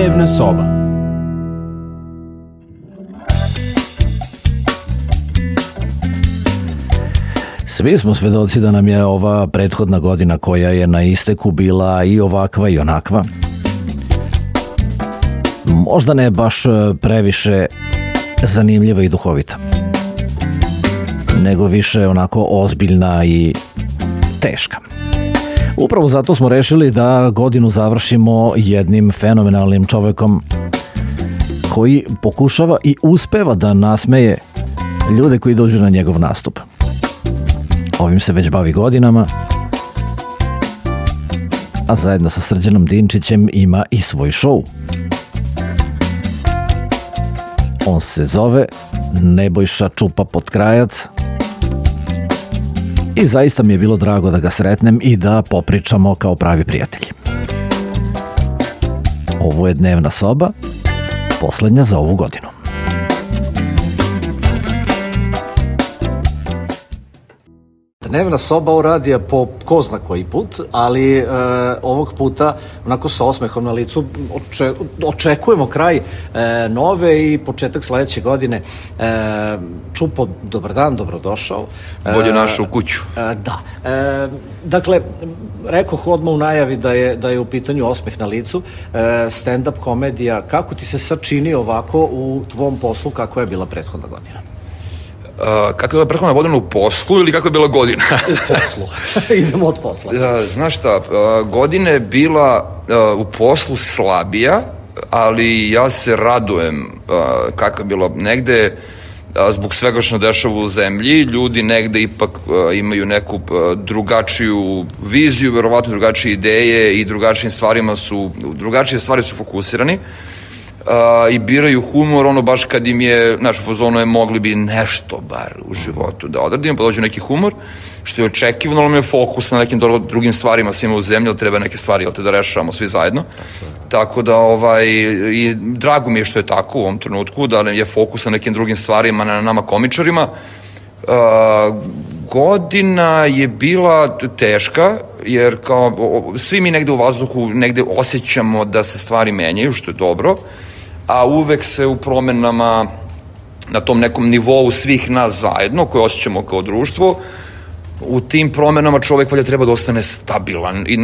Dnevna soba. Svi smo svedoci da nam je ova prethodna godina koja je na isteku bila i ovakva i onakva. Možda ne baš previše zanimljiva i duhovita, nego više onako ozbiljna i teška. Upravo zato smo rešili da godinu završimo jednim fenomenalnim čovekom koji pokušava i uspeva da nasmeje ljude koji dođu na njegov nastup. Ovim se već bavi godinama, a zajedno sa Srđanom Dinčićem ima i svoj šou. On se zove Nebojša Čupa Potkrajac i zaista mi je bilo drago da ga sretnem i da popričamo kao pravi prijatelji. Ovo je Dnevna soba, poslednja za ovu godinu. Dnevna soba u radija po ko zna koji put, ali ovog puta onako sa osmehom na licu očekujemo kraj nove i početak sledeće godine. Čupo, dobar dan, dobrodošao. Bolje našu kuću. Da. Dakle, rekoh odmah u najavi da je u pitanju osmeh na licu, stand-up komedija. Kako ti se sad čini ovako u tvom poslu, kakva je bila prethodna godina? Kako je bila prethodna godina u poslu ili kako je bila godina? U poslu. Idemo od posla. Znaš šta, godina je bila u poslu slabija, ali ja se radujem kako je bilo negde, zbog svega što dešava u zemlji, ljudi negde ipak imaju neku drugačiju viziju, verovatno drugačije ideje i drugačije stvari su fokusirani. I biraju humor, ono baš kad im je, znaš, u fazonu je mogli bi nešto bar u životu da odradimo, pa dođu neki humor, što je očekivano, ali mi je fokus na nekim drugim stvarima svima u zemlji, ali treba neke stvari, da rešavamo svi zajedno. Tako da, i drago mi je što je tako u ovom trenutku, da je fokus na nekim drugim stvarima, na nama komičarima. Godina je bila teška, jer kao svi mi negde u vazduhu negde osjećamo da se stvari menjaju, što je dobro, a uvek se u promenama na tom nekom nivou svih nas zajedno, koje osjećamo kao društvo, u tim promenama čovek valjda treba da ostane stabilan i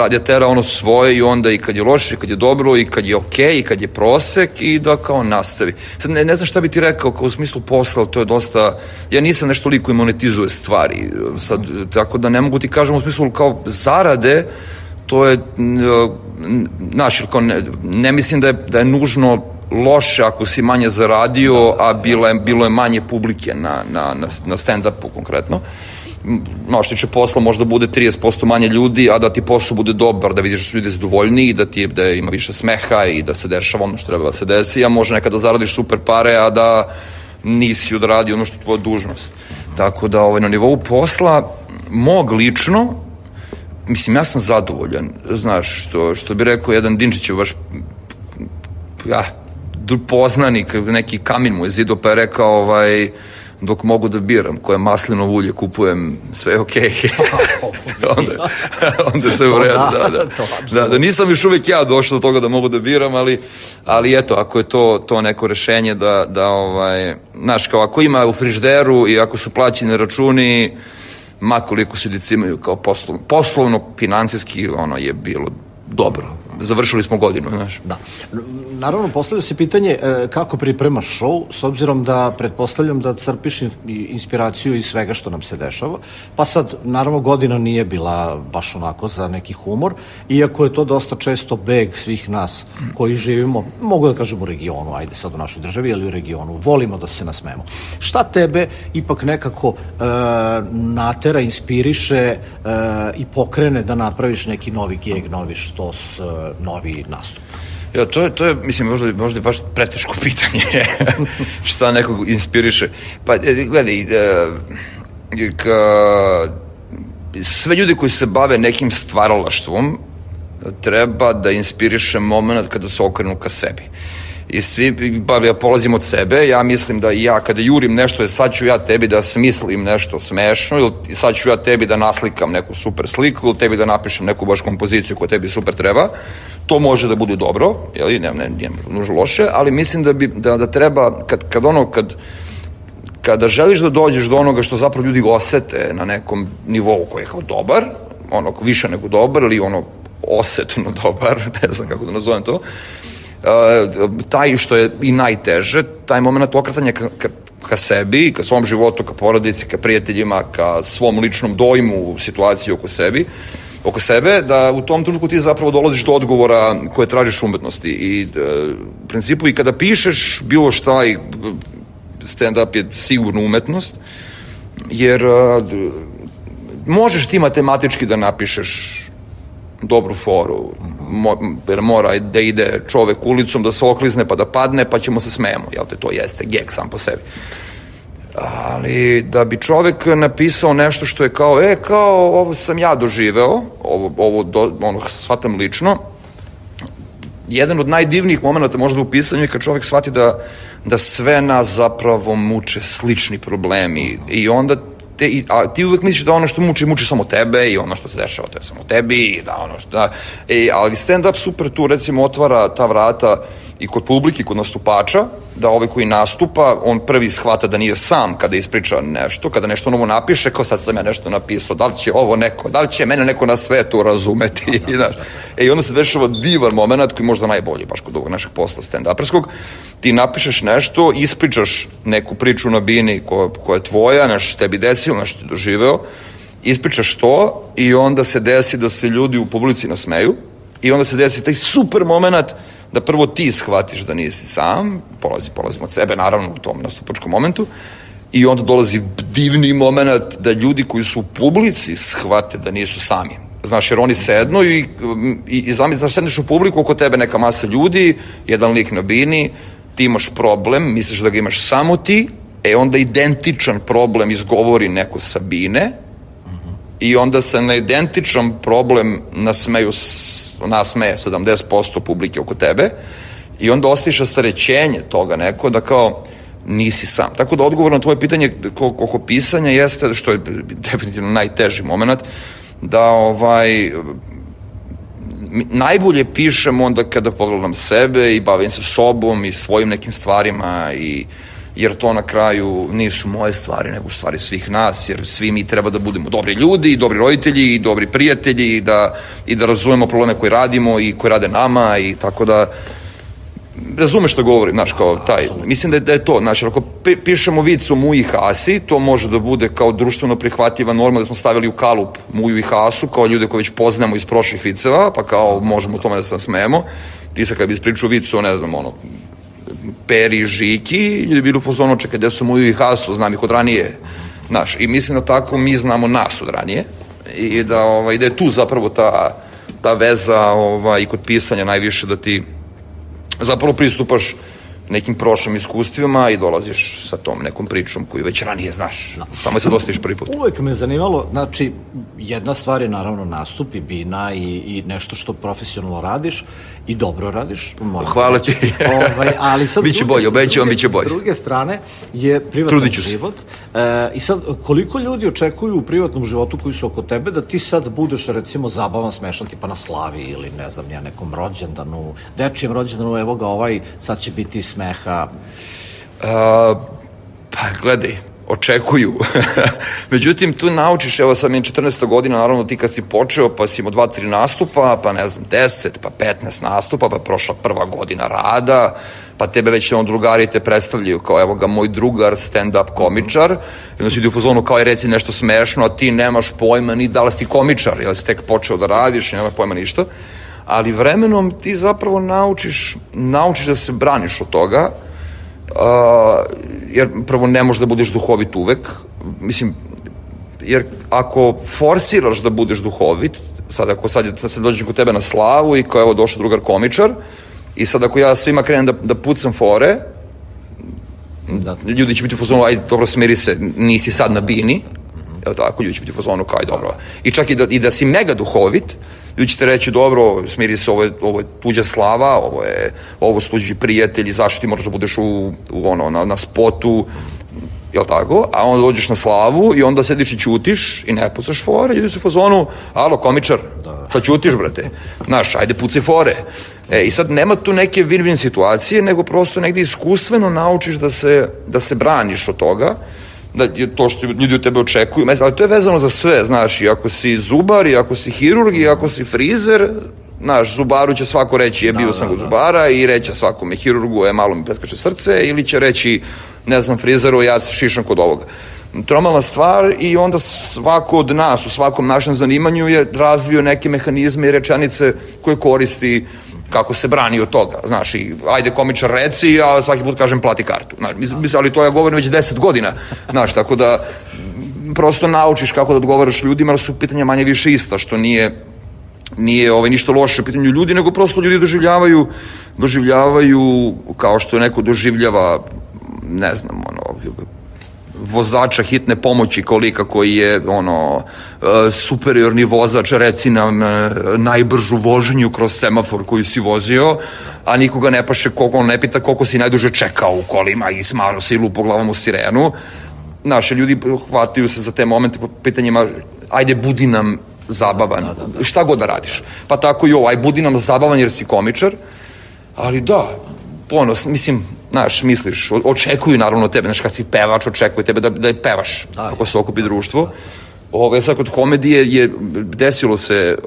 da tera ono svoje i onda i kad je loše, i kad je dobro, i kad je okej, i kad je prosek i da kao nastavi. Sad ne znam šta bi ti rekao kao u smislu posla, to je dosta, ja nisam nešto liko i monetizuje stvari, sad, tako da ne mogu ti kažem u smislu kao zarade, to je, znaš, ne mislim da je nužno loše ako si manje zaradio, a bilo je manje publike na stand-upu konkretno. No, što tiče posla možda bude 30% manje ljudi, a da ti posao bude dobar, da vidiš da su ljudi zadovoljniji, da ima više smeha i da se dešava ono što treba da se desi, a može nekada zaradiš super pare, a da nisi odradio ono što je tvoja dužnost. Tako da na nivou posla, mog lično, mislim, ja sam zadovoljan, znaš, što bi rekao jedan Dinčićev baš, poznanik, neki kamin mu je zido, pa je rekao, dok mogu da biram koje maslinovo ulje kupujem, sve je okej. Onda sve u redu. Da, nisam još uvijek ja došao do toga da mogu da biram, ali eto, ako je to neko rešenje znaš, kao ako ima u frižderu i ako su plaćeni računi, makoliko se ljudi imaju kao poslovno, financijski, ono je bilo dobro. Završili smo godinu, znaš. Da. Naravno, postavlja se pitanje kako pripremaš šou, s obzirom da pretpostavljam da crpiš inspiraciju iz svega što nam se dešava. Pa sad, naravno, godina nije bila baš onako za neki humor, iako je to dosta često beg svih nas koji živimo, mogu da kažem u regionu, ajde sad u našoj državi, ali u regionu, volimo da se nasmemo. Šta tebe ipak nekako natera, inspiriše i pokrene da napraviš neki novi geg, novi štos, novi nastup? Ja, to je, mislim, možda baš preteško pitanje šta nekog inspiriše. Pa, gledaj, sve ljudi koji se bave nekim stvaralaštvom treba da inspiriše moment kada se okrenu ka sebi. I svi, ja polazim od sebe, ja mislim da ja kada jurim nešto, sad ću ja tebi da smislim nešto smešno, ili sad ću ja tebi da naslikam neku super sliku, ili tebi da napišem neku baš kompoziciju koja tebi super treba, to može da bude dobro, jel, nije nužno loše, ali mislim da treba, kada želiš da dođeš do onoga što zapravo ljudi osete na nekom nivou koji je kao dobar, više nego dobar, ili osetno dobar, ne znam kako da nazovem to, taj što je i najteže, taj moment okretanja ka sebi, ka svom životu, ka porodici, ka prijateljima, ka svom ličnom dojmu, situaciji oko sebe, da u tom trenutku ti zapravo dolaziš do odgovora koje tražiš u umetnosti. I u principu i kada pišeš bilo šta, i stand-up je sigurno umetnost, jer možeš ti matematički da napišeš dobru foru, jer mora da ide čovek ulicom, da se oklizne pa da padne, pa ćemo se smejemo, jel te, to jeste geg sam po sebi. Ali da bi čovek napisao nešto što je kao ovo sam ja doživeo, ovo shvatam lično, jedan od najdivnijih momenta možda u pisanju je kad čovek shvati da sve nas zapravo muče slični problemi i onda ti uvek misliš da ono što muči samo tebe i ono što se dešava to je samo tebi i da ono što ali stand-up super tu recimo otvara ta vrata i kod publike, kod nastupača, da ovaj koji nastupa, on prvi shvata da nije sam kada ispriča nešto, kada nešto novo napiše, kao sad sam ja nešto napisao, da li će ovo neko, da li će mene neko na svetu razumeti, znaš. I onda se dešava divan moment koji je možda najbolji baš kod ovog našeg posla stand-uperskog, ti napišeš nešto, ispričaš neku priču na bini koja je tvoja, nešto tebi desilo, nešto ti doživeo, ispričaš to i onda se desi da se ljudi u publici nasmeju i onda se desi taj super moment da prvo ti shvatiš da nisi sam, polazimo od sebe naravno u tom nastupačkom momentu i onda dolazi divni moment da ljudi koji su u publici shvate da nisu sami. Znaš, jer oni sednu i znaš, sedneš u publiku, oko tebe neka masa ljudi, jedan lik na bini, ti imaš problem, misliš da ga imaš samo ti, onda identičan problem izgovori neko sa bine, i onda se na identičan problem nasmeje 70% publike oko tebe i onda ostaviš rastarećenje toga neko da kao nisi sam. Tako da odgovor na tvoje pitanje oko pisanja jeste, što je definitivno najteži moment, da najbolje pišem onda kada pogledam sebe i bavim se sobom i svojim nekim stvarima jer to na kraju nisu moje stvari, nego stvari svih nas, jer svi mi treba da budemo dobri ljudi, i dobri roditelji, i dobri prijatelji, i da razumemo probleme koje radimo i koje rade nama, i tako da razumeš što govorim, znaš, kao taj, mislim da je to, znači, ako pišemo vic o Muji i Hasi, to može da bude kao društveno prihvatljiva norma da smo stavili u kalup Muju i Hasu, kao ljude koje već poznamo iz prošlih viceva, pa kao možemo u tome da se nasmejemo. Ti sad kad bi ispričao vicu, ne znam, Peri i Žiki, ljudi bili u fazonu, čekaj, gde su Muju i Hasu, znam ih od ranije, znaš, i mislim da tako mi znamo nas od ranije i da je tu zapravo ta veza i kod pisanja najviše da ti zapravo pristupaš nekim prošlim iskustvima i dolaziš sa tom nekom pričom koju već ranije znaš, samo se dostaviš prvi put. Uvek me zanimalo, znači, jedna stvar je naravno nastup i bina i nešto što profesionalno radiš i dobro radiš. Hvala ti. Ali sad biće bolje, obećavam, biće bolje. S druge strane je privatan život. I sad, koliko ljudi očekuju u privatnom životu koji su oko tebe da ti sad budeš, recimo, zabavan, smešan, tipa na slavi ili, ne znam, nekom rođendanu, dečijem rođendanu, evo ga sad će biti smeha. Pa, gledaj, očekuju. Međutim, tu naučiš, evo sad mi je 14. godina, naravno ti kad si počeo, pa si imao 2-3 nastupa, pa ne znam, 10, pa 15 nastupa, pa prošla prva godina rada, pa tebe već drugari te predstavljaju kao, evo ga, moj drugar, stand-up komičar, i onda si ide u fazonu kao, reci nešto smešno, a ti nemaš pojma ni da li si komičar, jer si tek počeo da radiš, nemaš pojma ništa, ali vremenom ti zapravo naučiš da se braniš od toga, jer prvo ne možeš da budeš duhovit uvek, mislim, jer ako forsiraš da budeš duhovit, sad se dođem kod tebe na slavu i kao evo došao drugar komičar i sad ako ja svima krenem da pucam fore, ljudi će biti u fazonu, ajde dobro smiri se, nisi sad na bini, jel tako, ljudi će biti u fazonu kao ajde dobro, i čak i da si mega duhovit, ljudi će te reći, dobro, smiri se, ovo je tuđa slava, ovo su tuđi prijatelji, zašto ti moraš da budeš na spotu, jel tako? A onda dođeš na slavu i onda sediš i ćutiš i ne pucaš fore, ljudi su u fazonu, alo, komičar, Šta ćutiš, brate? Znaš, ajde pucaj fore. I sad nema tu neke win-win situacije, nego prosto negde iskustveno naučiš da se braniš od toga, da je to što ljudi od tebe očekuju, ali to je vezano za sve, znaš, i ako si zubar, i ako si hirurg, i ako si frizer, znaš, zubaru će svako reći bio sam kod zubara i reće svakome hirurgu malo mi preskače srce, ili će reći, ne znam, frizeru, ja se šišam kod ovoga. Normalna stvar i onda svako od nas u svakom našem zanimanju je razvio neke mehanizme i rečenice koje koristi kako se brani od toga, znaš, i ajde komičar reci, a svaki put kažem plati kartu, znaš, ali to ja govorim već 10 godina, znaš, tako da prosto naučiš kako da odgovaraš ljudima, ali su pitanja manje više ista, što nije ništa loše u pitanju ljudi, nego prosto ljudi doživljavaju kao što neko doživljava, ne znam, vozača hitne pomoći kolika koji je superiorni vozač, reci nam najbržu vožnju kroz semafor koju si vozio, a nikoga ne paše koliko, on ne pita koliko si najduže čekao u kolima i smaro se i lupo glavom u sirenu. Naši ljudi hvataju se za te momente po pitanjima, ajde budi nam zabavan, šta god da radiš. Pa tako i ovo, aj budi nam zabavan jer si komičar, ali da, ponos, mislim, znaš, misliš, očekuju naravno tebe, znaš, kad si pevač, očekuju tebe da je pevaš, kako se okupi društvo. Sad kod komedije je desilo se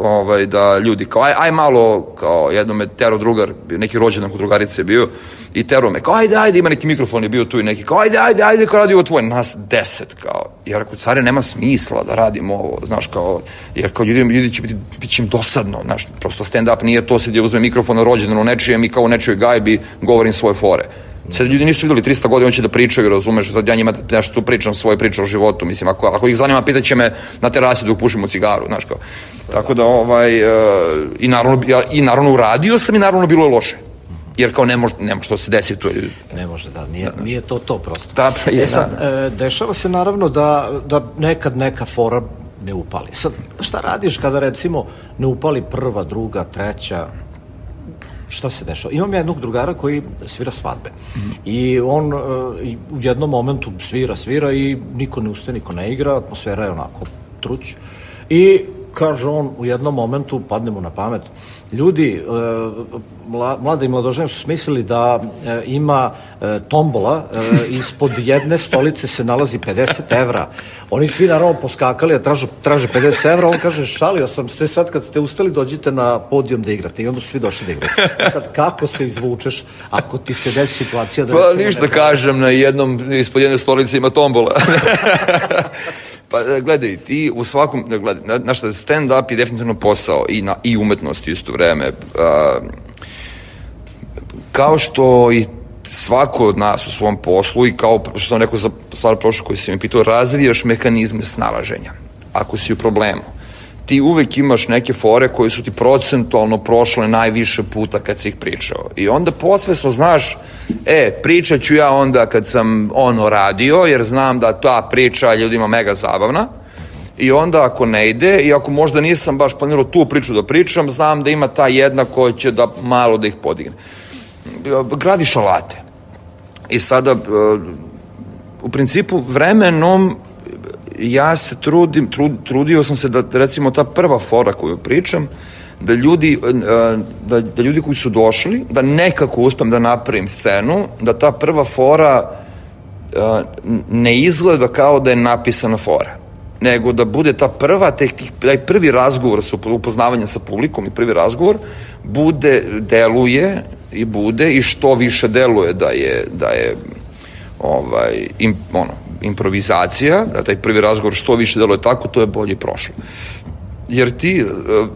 da ljudi kao, aj malo, kao jedno me tero drugar, neki rođendan kod drugarice je bio, i tero me, kao ajde, ima neki mikrofon je bio tu i neki, kao ajde, kao radi ovo tvoje, nas 10, kao, jer ako care nema smisla da radimo ovo, znaš, kao, jer kao ljudi će bit će im dosadno, znaš, prosto stand-up nije to, sad je uzme mikrofon na rođendan u nečijem i kao u nečijoj gajbi govorim svoje fore. Sad ljudi nisu videli 300 godina, on će da pričaju, razumeš, sad ja njima nešto tu pričam, svoje priče o životu, mislim, ako ih zanima, pitaće me na terasi dok pušimo cigaru, znaš kao. Tako da, i naravno uradio sam i naravno bilo je loše. Jer kao ne može to se desi tu. Ne može, da, nije to prosto. Da, sad, dešava se naravno da nekad neka fora ne upali. Sad, šta radiš kada recimo ne upali prva, druga, treća, šta se dešava? Imam jednog drugara koji svira svadbe i on u jednom momentu svira i niko ne ustaje, niko ne igra, atmosfera je onako truć i kaže on u jednom momentu, padne mu na pamet, ljudi, mlade i mladožene su smislili da ima tombola, ispod jedne stolice se nalazi 50 evra. Oni svi naravno poskakali, a traže 50 evra, on kaže, šalio sam se, sad kad ste ustali dođite na podijum da igrate i onda su svi došli da igrate. Sad, kako se izvučeš ako ti se desi situacija da... Pa ništa kažem, ispod jedne stolice ima tombola. Pa gledaj, ti u svakom, znaš, stand-up je definitivno posao i umetnost u isto vreme. Kao što i svako od nas u svom poslu i kao što sam rekao za stvar prošlo koju si mi pitao, razvijaš mehanizme snalaženja. Ako si u problemu, ti uvek imaš neke fore koje su ti procentualno prošle najviše puta kad si ih pričao. I onda podsvesno znaš, pričat ću ja onda kad sam radio, jer znam da ta priča ljudima mega zabavna. I onda ako ne ide, i ako možda nisam baš planirao tu priču da pričam, znam da ima ta jedna koja će da malo da ih podigne. Gradiš alate. I sada, u principu, vremenom ja se trudio sam se da, recimo, ta prva fora koju pričam, da ljudi koji su došli, da nekako uspem da napravim scenu, da ta prva fora ne izgleda kao da je napisana fora, nego da bude ta prva, taj prvi razgovor sa upoznavanjem sa publikom i prvi razgovor deluje i što više deluje da je improvizacija, da taj prvi razgovor što više deluje tako, to je bolje prošlo. Jer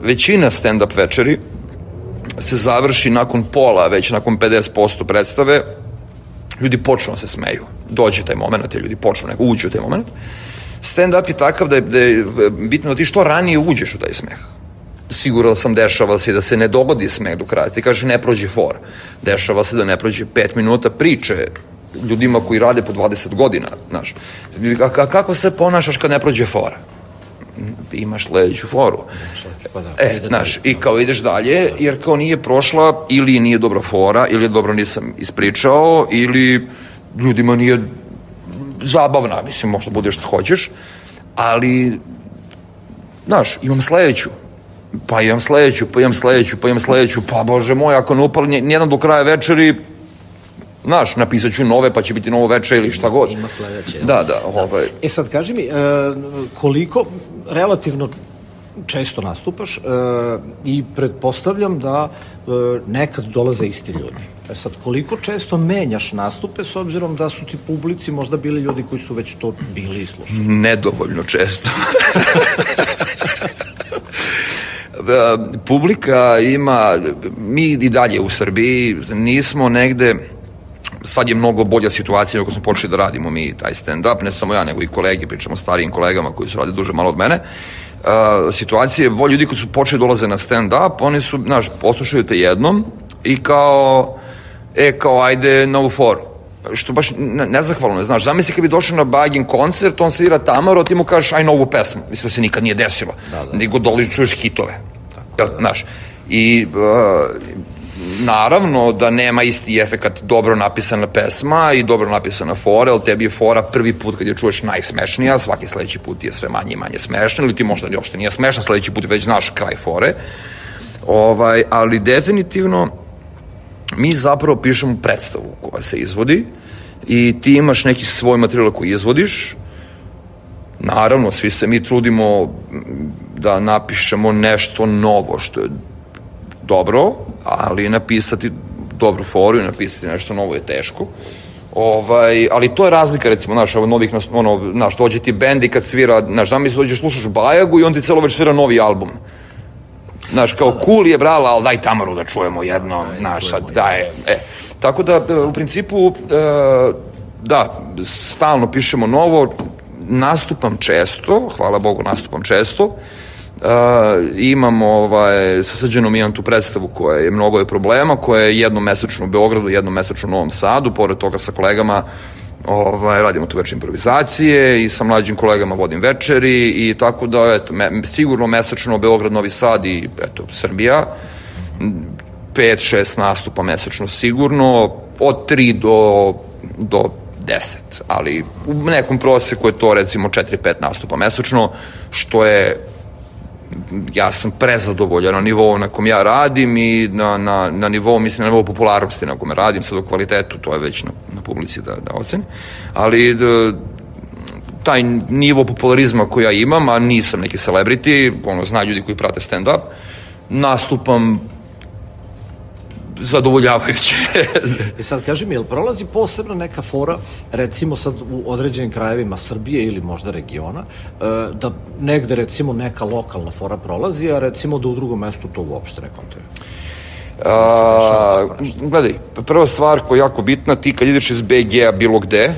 većina stand-up večeri se završi nakon pola, već nakon 50% predstave, ljudi počnu da se smeju. Dođe taj moment, ljudi počnu uđu u taj moment. Stand-up je takav da je bitno da ti što ranije uđeš u taj smeh. Siguran sam, dešava se da se ne dogodi smeh do kraja. Ti kaže ne prođe fora. Dešava se da ne prođe 5 minuta priče ljudima koji rade po 20 godina, znaš. Kako se ponašaš kad ne prođe fora? Imaš sledeću foru. Znaš, i kao ideš dalje, jer kao nije prošla, ili nije dobra fora, ili je dobro nisam ispričao, ili ljudima nije zabavna, mislim, možda bude što hoćeš, ali, znaš, imam sledeću. pa imam sledeću, pa bože moj, ako ne upali nijedan do kraja večeri, znaš, napisat ću nove, pa će biti novo veče ili šta god. Ima sledeće. Da. Sad kaži mi, koliko relativno često nastupaš i pretpostavljam da nekad dolaze isti ljudi. Sad, koliko često menjaš nastupe s obzirom da su ti publici možda bili ljudi koji su već to bili i slušali? Nedovoljno često. Publika ima, mi i dalje u Srbiji nismo negde, sad je mnogo bolja situacija ako smo počeli da radimo mi taj stand-up, ne samo ja nego i kolege, pričamo o starijim kolegama koji su radili duže malo od mene. Situacija je bolja, ljudi koji su počeli dolaze na stand-up, oni su, znaš, poslušaju te jednom i kao ajde na ovu foru. Što baš nezahvalno je, znaš, zamisli kad bi došao na Bagin koncert, on svira Tamaro, ti mu kažeš aj novu pesmu, mislim da se nikad nije desilo, nego čuješ hitove, znaš, i naravno da nema isti efekat dobro napisana pesma i dobro napisana fora, jer tebi je fora prvi put kad je čuješ najsmešnija, svaki sledeći put je sve manje i manje smešna, ili ti možda uopšte nije smešna, sledeći put već znaš kraj fore, ali definitivno mi zapravo pišemo predstavu koja se izvodi i ti imaš neki svoj materijal koji izvodiš. Naravno, svi se mi trudimo da napišemo nešto novo što je dobro, ali napisati dobru foru i napisati nešto novo je teško. Ali to je razlika, recimo, znaš, novih, znaš, dođe ti bend i kad svira, znaš, zamisli dođeš, slušaš Bajagu i on ti celo već svira novi album. Znaš, kao cool je, brala, ali daj Tamaru da čujemo jedno, znaš, daj, Tako da, u principu, da, stalno pišemo novo, nastupam često, hvala Bogu, nastupam često, imamo, sa Srđanom imam tu predstavu koja je mnogo je problema, koja je jednom mesečno u Beogradu, jednom mesečno u Novom Sadu, pored toga sa kolegama radimo tu večer improvizacije i sa mlađim kolegama vodim večeri i tako da, eto, sigurno mesečno Beograd, Novi Sad i, eto, Srbija, 5-6 nastupa mesečno sigurno, od 3 do 10, ali u nekom proseku je to recimo 4-5 nastupa mesečno, što je, ja sam prezadovoljan na nivou na kom ja radim i na nivou, mislim, na nivou popularnosti na kome radim, sad o kvalitetu, to je već na publici da oceni, ali taj nivo popularizma koji ja imam, a nisam neki celebrity, zna ljudi koji prate stand-up, nastupam zadovoljavajuće. I sad kaži mi, jel prolazi posebno neka fora, recimo sad u određenim krajevima Srbije ili možda regiona, da negde recimo neka lokalna fora prolazi, a recimo da u drugom mestu to uopšte ne kontuje? Gledaj, prva stvar koja je jako bitna, ti kad ideš iz BG-a bilo gde,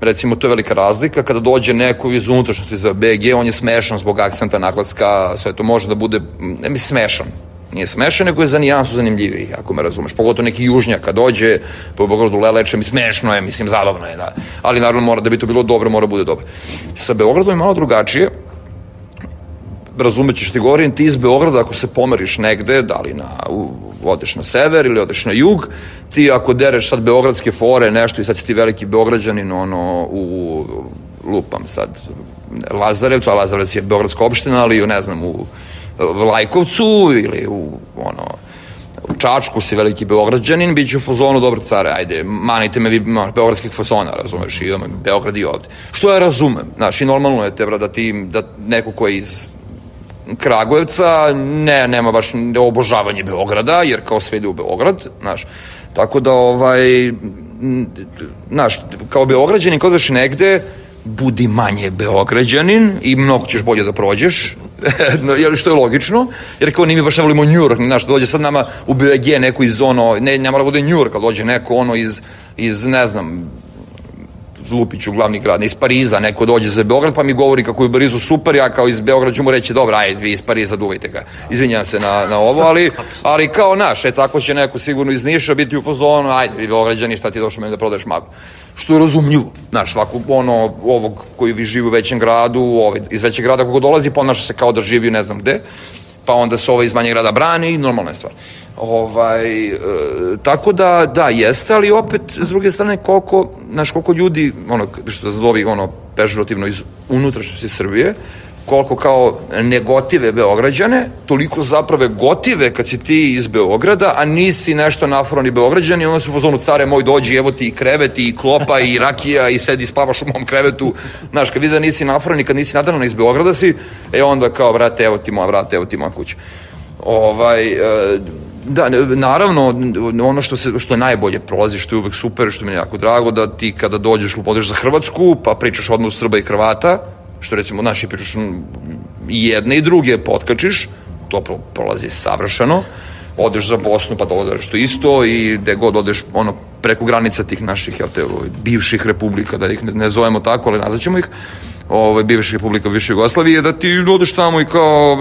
recimo to je velika razlika, kada dođe neko iz unutrašnjosti za BG, on je smešan zbog akcenta, naglaska, sve to može da bude, ne mi smešan, nije smešan, nego je za nijansu zanimljiviji, ako me razumeš. Pogotovo neki južnjak kad dođe po Beogradu leleče, mi smešno je, mislim, zabavno je, da. Ali naravno mora da bi to bilo dobro, mora bude dobro. Sa Beogradom je malo drugačije, razumećeš ti govorim, ti iz Beograda ako se pomeriš negde, da li odeš na sever ili odeš na jug, ti ako dereš sad beogradske fore, nešto i sad si ti veliki Beograđanin, u lupam sad Lazarevcu, a Lazarevac je beogradska opština, ali ne znam, u Lajkovcu ili u Čačku si veliki Beograđanin, bit će u fazonu, dobro care, ajde, manite me vi beogradskih fazona, razumeš, i Beograd i ovde. Što ja razumem, znaš, i normalno je tebra da neko ko je iz Kragujevca nema baš obožavanje Beograda, jer kao sve ide u Beograd, znaš, tako da, znaš, kao Beograđanin, kada daš negde, budi manje Beograđanin i mnogo ćeš bolje da prođeš, što je logično, jer kao mi baš ne volimo New York, znaš, dođe sad nama u BG neko iz ne mora da bude New York, ali dođe neko iz ne znam, Lupiću, glavni grad, iz Pariza, neko dođe za Beograd pa mi govori kako je u Parizu super, ja kao iz Beograda ću mu reći, dobro, ajde, vi iz Pariza duvajte ga, izvinjam se na ovo, ali kao naš, tako će neko sigurno iz Niša biti u fazonu, ajde, vi Beograđani, šta ti došao meni da prodaješ maglu, što je razumljivo, znaš, svako ovog koji vi živi u većem gradu, iz većeg grada kako dolazi, ponaša se kao da živi ne znam gde, pa onda se iz manjeg grada brani i normalna je stvar. Tako da, jeste, ali opet, s druge strane, koliko ljudi, što se zove, pežurativno iz unutrašnjosti Srbije, koliko kao negotive Beograđane, toliko zapravo gotive kad si ti iz Beograda, a nisi nešto naforani Beograđan i onda su u fazonu, care moj, dođi, evo ti i krevet i klopa i rakija i sedi spavaš u mom krevetu. Znaš, kad vidi da nisi naforani, kad nisi nadaran iz Beograda si, onda kao, vrate, evo ti moja vrata, evo ti moja kuća. Da, naravno, ono što je najbolje prolazi, što je uvek super, što mi je jako drago, da ti kada dođeš, odeš za Hrvatsku, pa pričaš odnos Srba i Hrvata, što recimo naši pričaš i jedne i druge potkačiš, to prolazi savršeno. Odeš za Bosnu, pa dođeš to isto i gde god odeš preko granica tih naših bivših republika, da ih ne zovemo tako, ali nazvaćemo ih, bivših republika bivše Jugoslavije, da ti odeš tamo i kao,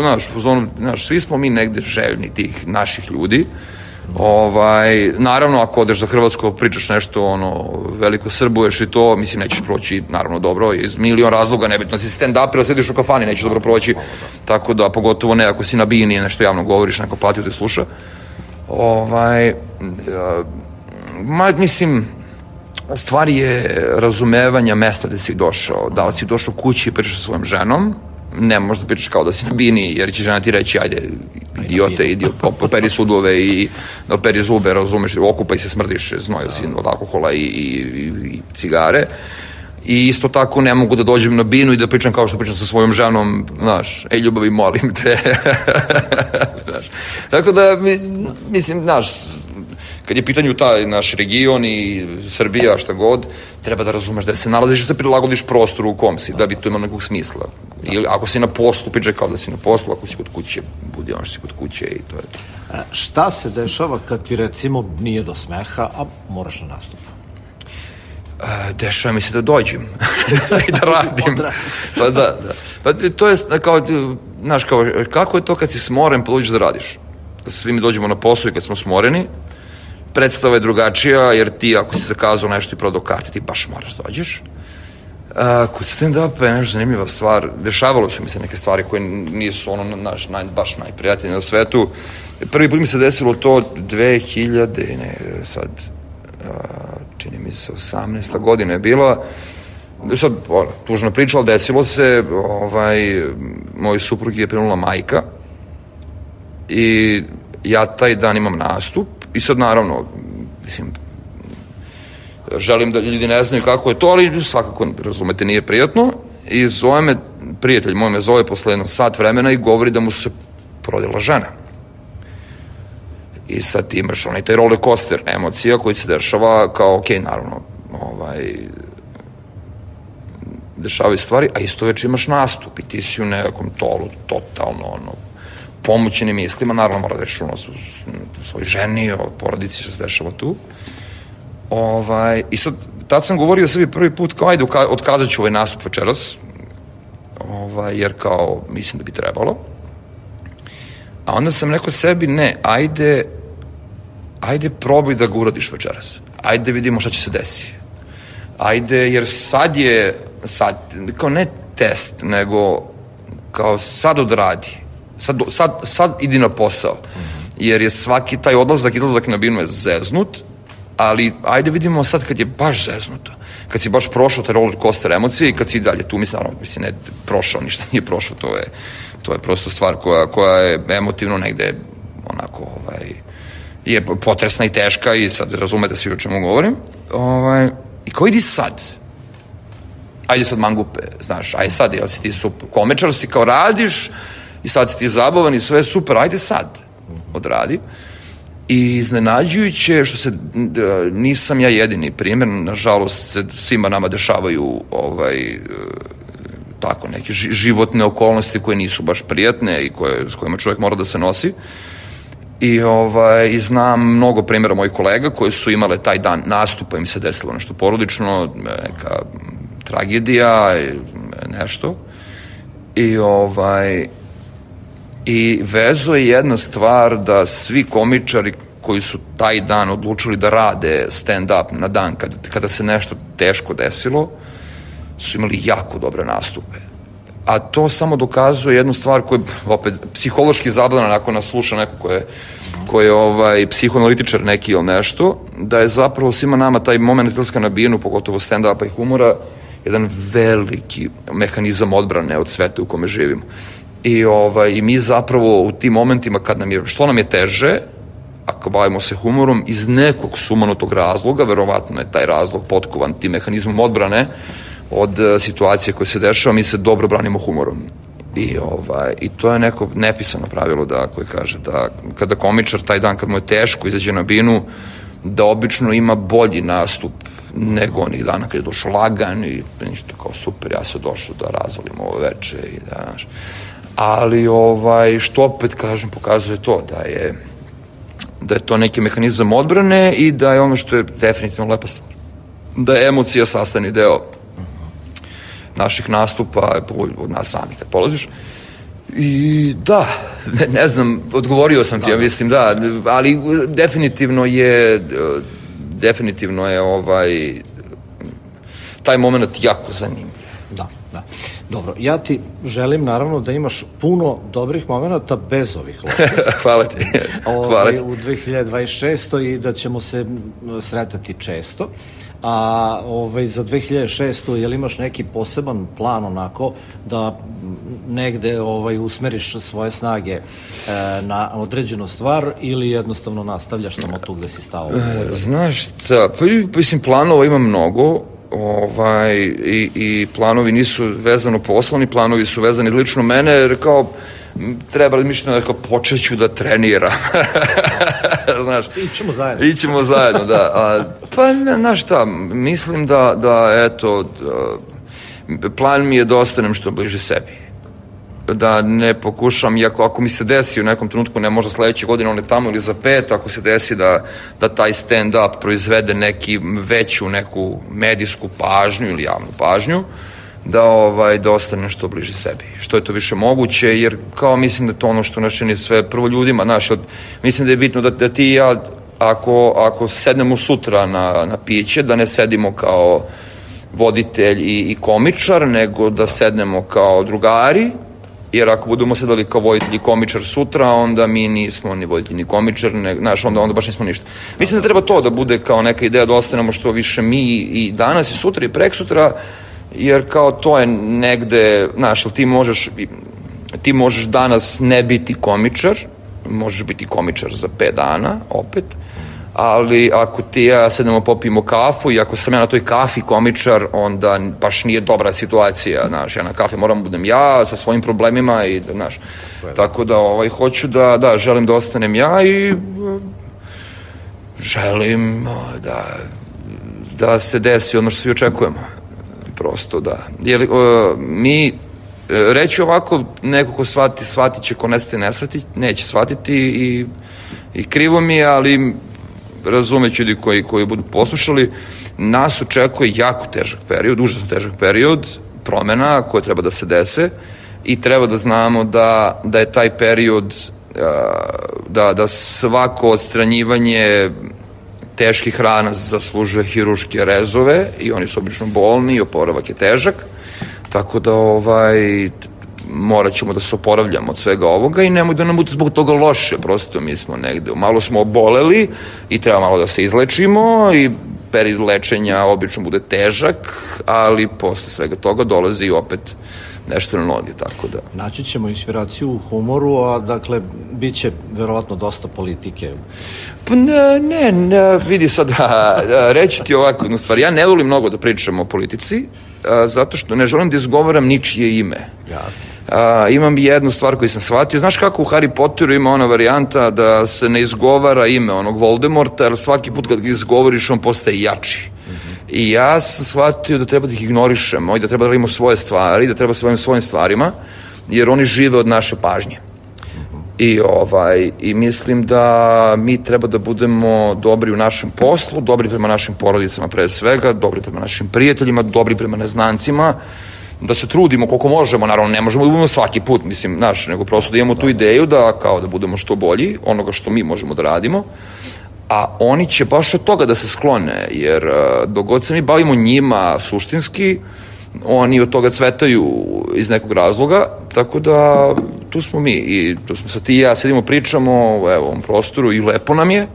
znaš, svi smo mi negde željni tih naših ljudi. Naravno, ako odeš za Hrvatsko, pričaš nešto, veliko srbuješ i to, mislim, nećeš proći, naravno, dobro, iz milion razloga, nebitno si stand-up, ili sediš u kafani, nećeš dobro proći, tako da, pogotovo ne, ako si na bini, nešto javno govoriš, neko platio te sluša. Mislim, stvar je razumevanja mesta gde si došao, da li si došao kući i pričaš sa svojom ženom, ne možda pričaš kao da si na bini, jer će žena ti reći, ajde, idiote, idi, operi sudove i operi zube, razumeš, okupaj se, smrdiš, znojio si od alkohola i cigare. I isto tako ne mogu da dođem na binu i da pričam kao što pričam sa svojom ženom, znaš, ej ljubavi, molim te. Tako da, mislim, znaš, kad je pitanju taj naš region i Srbija, šta god, treba da razumeš da se nalaziš i da se prilagodiš prostoru u kom si, da bi to imalo nekog smisla. Ili ako si na poslu, pričaj kao da si na poslu, ako si kod kuće, budi ono što si kod kuće i to je to. Šta se dešava kad ti, recimo, nije do smeha, a moraš na nastup? Dešava mi se da dođem i da radim. Pa da. Pa to je kao, znaš, kako je to kad si smoren pa dođeš da radiš? Svi mi dođemo na posao i kad smo smoreni, predstava je drugačija, jer ti ako si zakazao nešto i prodao karte, ti baš moraš da dođeš. Kod stand-upa je nešto zanimljiva stvar. Dešavalo su mi se neke stvari koje nisu baš najprijatnije na svetu. Prvi put mi se desilo to čini mi se 18. godina je bila. Sad, tužna priča, ali desilo se, moj suprug je prenula majka i ja taj dan imam nastup i sad naravno, mislim, želim da ljudi ne znaju kako je to, ali svakako, razumete, nije prijatno i zove me, prijatelj moj me zove posle jedno sat vremena i govori da mu se porodila žena. I sad ti imaš taj roller coaster emocija koji se dešava kao, okej, naravno, dešavaju stvari, a isto već imaš nastup i ti si u nekakvom tolu, totalno, pomoćenim mislima, naravno mora da rešiš svoj ženi, o porodici što se dešava tu. I sad, tad sam govorio sebi prvi put kao, ajde, otkazat ću ovaj nastup večeras, jer kao, mislim da bi trebalo. A onda sam rekao sebi, ne, ajde probaj da ga uradiš večeras. Ajde vidimo šta će se desiti. Ajde, jer sad, kao ne test, nego kao sad odradi. Sad idi na posao. Jer je svaki taj izlazak na binu je zeznut, ali ajde vidimo sad kad je baš zeznuto. Kad si baš prošao te roller coaster emocije i kad si dalje tu, mislim, ne prošao, ništa nije prošao, to je prosto stvar koja je emotivno negde onako, je potresna i teška i sad razumete svi o čemu govorim. I kao idi sad. Ajde sad mangupe, znaš, ajde sad, jel si ti super, komečar si, kao radiš i sad si ti zabavan i sve je super, ajde sad, odradi. I iznenađujuće što se, nisam ja jedini primjer, nažalost se svima nama dešavaju tako neke životne okolnosti koje nisu baš prijatne i s kojima čovjek mora da se nosi. I znam mnogo primjera mojih kolega koji su imale taj dan nastupa, im se desilo nešto porodično, neka tragedija, nešto. I vezo je jedna stvar da svi komičari koji su taj dan odlučili da rade stand-up na dan kada se nešto teško desilo, su imali jako dobre nastupe. A to samo dokazuje jednu stvar koja je opet psihološki zabavna, ako nas sluša neko ko je psihoanalitičar neki ili nešto, da je zapravo svima nama taj moment izlaska na binu, pogotovo stand-upa i humora, jedan veliki mehanizam odbrane od sveta u kome živimo. I mi zapravo u tim momentima što nam je teže, ako bavimo se humorom, iz nekog sumanutog razloga, verovatno je taj razlog potkovan tim mehanizmom odbrane od situacije koje se dešava, mi se dobro branimo humorom. I to je neko nepisano pravilo koje kaže da kada komičar taj dan kad mu je teško izađe na binu, da obično ima bolji nastup nego onih dana kad je došao lagan i ništa kao super, ja sam došao da razvolim ovo veče i da, znaš. Ali što opet kažem pokazuje to da je to neki mehanizam odbrane i da je ono što je definitivno lepa stvar, da je emocija sastavni deo naših nastupa od nas sami kad polaziš. I da, ne znam, odgovorio sam ti, ja mislim da, ali definitivno je taj moment jako zanimljiv. Da. Dobro, ja ti želim naravno da imaš puno dobrih momenta bez ovih loših. Hvala ti. U 2026. i da ćemo se sretati često. A za 2006. je li imaš neki poseban plan onako da negde usmeriš svoje snage na određenu stvar ili jednostavno nastavljaš samo tu gde si stao? Znaš šta, mislim planova ima mnogo, i planovi nisu vezano poslovni, planovi su vezani lično mene, jer kao treba razmišljati da počeću da treniram. Znaš, ićemo zajedno, da. Znaš šta, mislim da eto, plan mi je da ostanem što bliže sebi. Da ne pokušam, iako ako mi se desi u nekom trenutku, ne možda sledeće godine, on je tamo ili za 5, ako se desi da taj stand-up proizvede veću neku medijsku pažnju ili javnu pažnju, da ostanem što bliže sebi. Što je to više moguće, jer kao mislim da to ono što nas čini sve prvo ljudima, mislim da je bitno da ti i ja, ako sednemo sutra na piće, da ne sedimo kao voditelj i komičar, nego da sednemo kao drugari, jer ako budemo sedali kao voditelj i komičar sutra, onda mi nismo ni voditelj ni komičar, onda baš nismo ništa. Mislim da treba to da bude kao neka ideja da ostanemo što više mi i danas i sutra i preksutra, jer kao to je negde, ti možeš danas ne biti komičar, možeš biti komičar za 5 dana, opet, ali ako ti ja sedemo popijemo kafu i ako sam ja na toj kafi komičar, onda baš nije dobra situacija, ja na kafi moram budem ja sa svojim problemima i tako da hoću želim da ostanem ja i želim da se desi ono što svi očekujemo. Prosto da. Jer mi, reći ovako, neko ko shvatit će, ko neće shvatiti i krivo mi je, ali razumeći ljudi koji budu poslušali, nas očekuje jako težak period, užasno težak period promena koje treba da se dese i treba da znamo da je taj period, da svako odstranjivanje teških rana zaslužuje hirurške rezove i oni su obično bolni i oporavak je težak, tako da morat ćemo da se oporavljamo od svega ovoga i nemoj da nam bude zbog toga loše, prosto mi smo negde, malo smo oboleli i treba malo da se izlečimo i period lečenja obično bude težak, ali posle svega toga dolazi opet nešto na noge, tako da. Naći ćemo inspiraciju u humoru, a dakle, bit će verovatno dosta politike. Pa ne, vidi sad, reći ti ovako jednu stvar, ja ne volim mnogo da pričam o politici, zato što ne želim da izgovaram ničije ime. Imam jednu stvar koju sam shvatio, znaš kako u Harry Potteru ima ona varijanta da se ne izgovara ime onog Voldemorta, jer svaki put kad ga izgovoriš on postaje jači. I ja sam shvatio da treba da ih ignorišemo i da treba da radimo svoje stvari, da treba svojim stvarima, jer oni žive od naše pažnje. I mislim da mi treba da budemo dobri u našem poslu, dobri prema našim porodicama pre svega, dobri prema našim prijateljima, dobri prema neznancima, da se trudimo koliko možemo, naravno ne možemo da budemo svaki put, mislim, nego prosto da imamo tu ideju da budemo što bolji, onoga što mi možemo da radimo, a oni će baš od toga da se sklone, jer dok god se mi bavimo njima suštinski, oni od toga cvetaju iz nekog razloga, tako da tu smo mi i tu smo sad ti i ja sedimo, pričamo u ovom prostoru i lepo nam je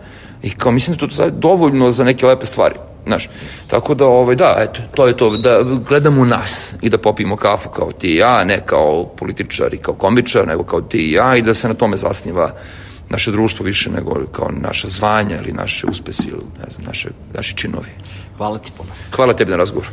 i kao mislim da to je dovoljno za neke lepe stvari. znaš. Tako da, da, eto, to je to, da gledamo u nas i da popijemo kafu kao ti i ja, ne kao političar i kao komičar, nego kao ti i ja, i da se na tome zasniva naše društvo više nego kao naša zvanja ili naše uspesi ili, ne znam, naši činovi. Hvala ti puno. Hvala tebi na razgovor.